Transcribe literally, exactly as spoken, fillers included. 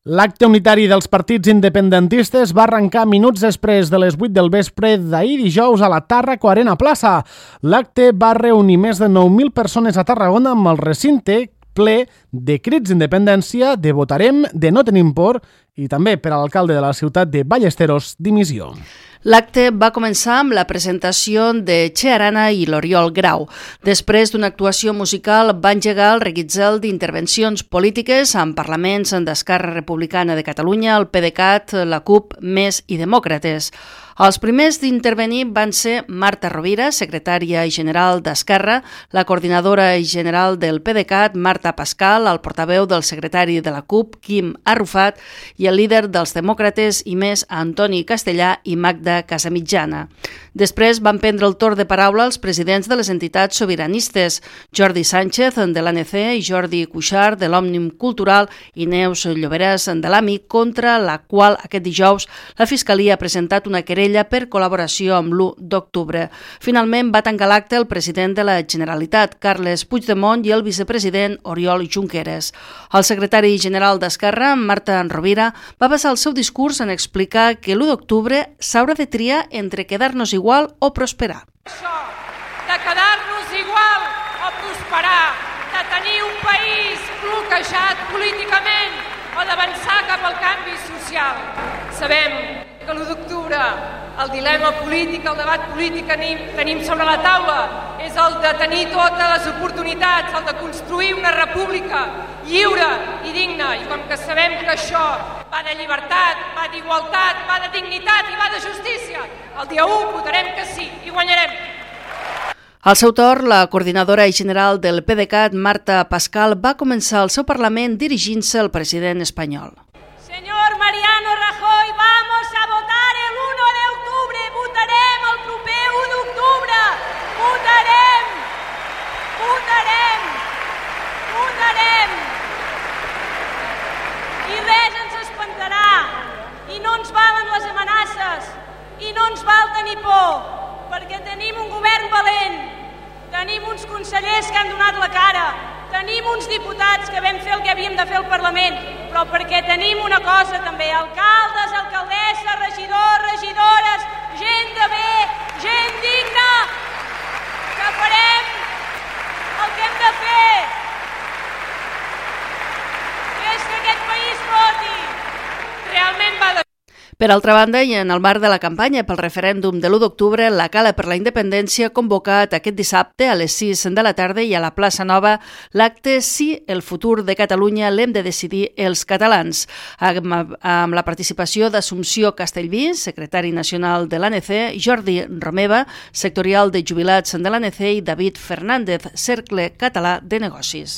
L'acte unitari dels partits independentistes va arrencar minuts després de les vuit del vespre d'ahir dijous a la Tàrraco Arena Plaça. L'acte va reunir més de nou mil persones a Tarragona amb el recinte ple de crits d'independència, de votarem, de no tenim por i també per a l'alcalde de la ciutat de Ballesteros, dimissió. L'acte va començar amb la presentació de Che Arana i l'Oriol Grau. Després d'una actuació musical va engegar el reguitzell d'intervencions polítiques en parlaments d'Esquerra Republicana de Catalunya, el PDeCAT, la CUP, Més i Demòcrates. Els primers d'intervenir van ser Marta Rovira, secretària general d'Esquerra, la coordinadora general del PDeCAT, Marta Pascal, el portaveu del secretari de la CUP, Quim Arrufat, i el líder dels Demòcrates i Més, Antoni Castellà i Magda Casamitjana. Després van prendre el torn de paraula els presidents de les entitats sobiranistes, Jordi Sánchez, de l'A N C, i Jordi Cuixart, de l'Òmnium Cultural, i Neus Lloberas, de l'A M I, contra la qual aquest dijous la Fiscalia ha presentat una querella per col·laboració amb l'u d'octubre. Finalment va tancar l'acte el president de la Generalitat, Carles Puigdemont, i el vicepresident Oriol Junqueras. El secretari general d'Esquerra, Marta Rovira, va basar el seu discurs en explicar que l'u d'octubre s'haurà de triar entre quedar-nos igual o prosperar. Això, de quedar-nos igual o prosperar, de tenir un país bloquejat políticament o d'avançar cap al canvi social. Sabem que l'u d'octubre el dilema polític, el debat polític que tenim sobre la taula és el de tenir totes les oportunitats, el de construir una república lliure i digna. I com que sabem que això va de llibertat, va d'igualtat, va de dignitat i va de justícia, el dia u votarem que sí i guanyarem. Al seu torn, la coordinadora general del PDeCAT, Marta Pascal, va començar el seu Parlament dirigint-se al president espanyol. Señor Mariano Rajoy, vamos a votar el uno de octubre, votarem el proper u d'octubre, votarem, votarem, votarem. I res ens espantarà, i no ens valen les amenaces, i no ens val tenir por, perquè tenim un govern valent, tenim uns consellers que han donat la cara, tenim uns diputats que vam fer el que havíem de fer al Parlament, però perquè tenim una cosa també, alcaldes, alcaldesses, regidors, regidores, gent de bé, gent digna, que farem el que hem de fer, que és que aquest país voti. Realment va de... Per altra banda, i en el marc de la campanya pel referèndum de l'u d'octubre, la Cala per la Independència ha convocat aquest dissabte a les sis de la tarda i a la plaça Nova l'acte Si el futur de Catalunya l'hem de decidir els catalans, amb, amb la participació d'Assumpció Castellví, secretari nacional de l'A N C, Jordi Romeva, sectorial de jubilats de l'A N C, i David Fernández, Cercle Català de Negocis.